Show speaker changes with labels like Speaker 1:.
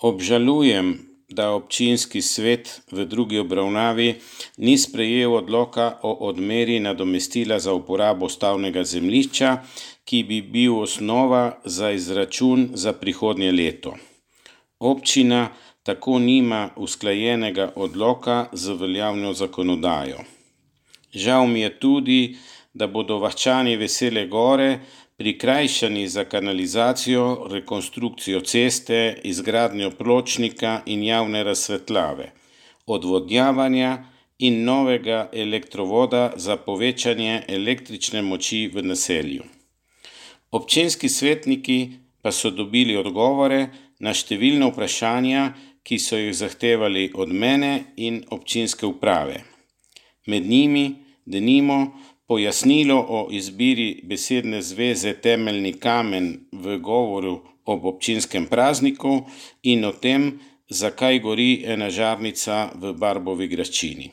Speaker 1: Obžalujem, da občinski svet v drugi obravnavi ni sprejel odloka o odmeri nadomestila za uporabo stavbnega zemljišča, ki bi bil osnova za izračun za prihodnje leto. Občina tako nima usklajenega odloka z veljavno zakonodajo. Žal mi je tudi, da bodo vaščani Vesele Gore prikrajšani za kanalizacijo, rekonstrukcijo ceste, izgradnjo pločnika in javne razsvetljave, odvodnjavanja in novega elektrovoda za povečanje električne moči v naselju. Občinski svetniki pa so dobili odgovore na številna vprašanja, ki so jih zahtevali od mene in občinske uprave. Med njimi, denimo, pojasnilo o izbiri besedne zveze temeljni kamen v govoru ob občinskem prazniku in o tem, zakaj gori ena žarnica v Barbovi graščini.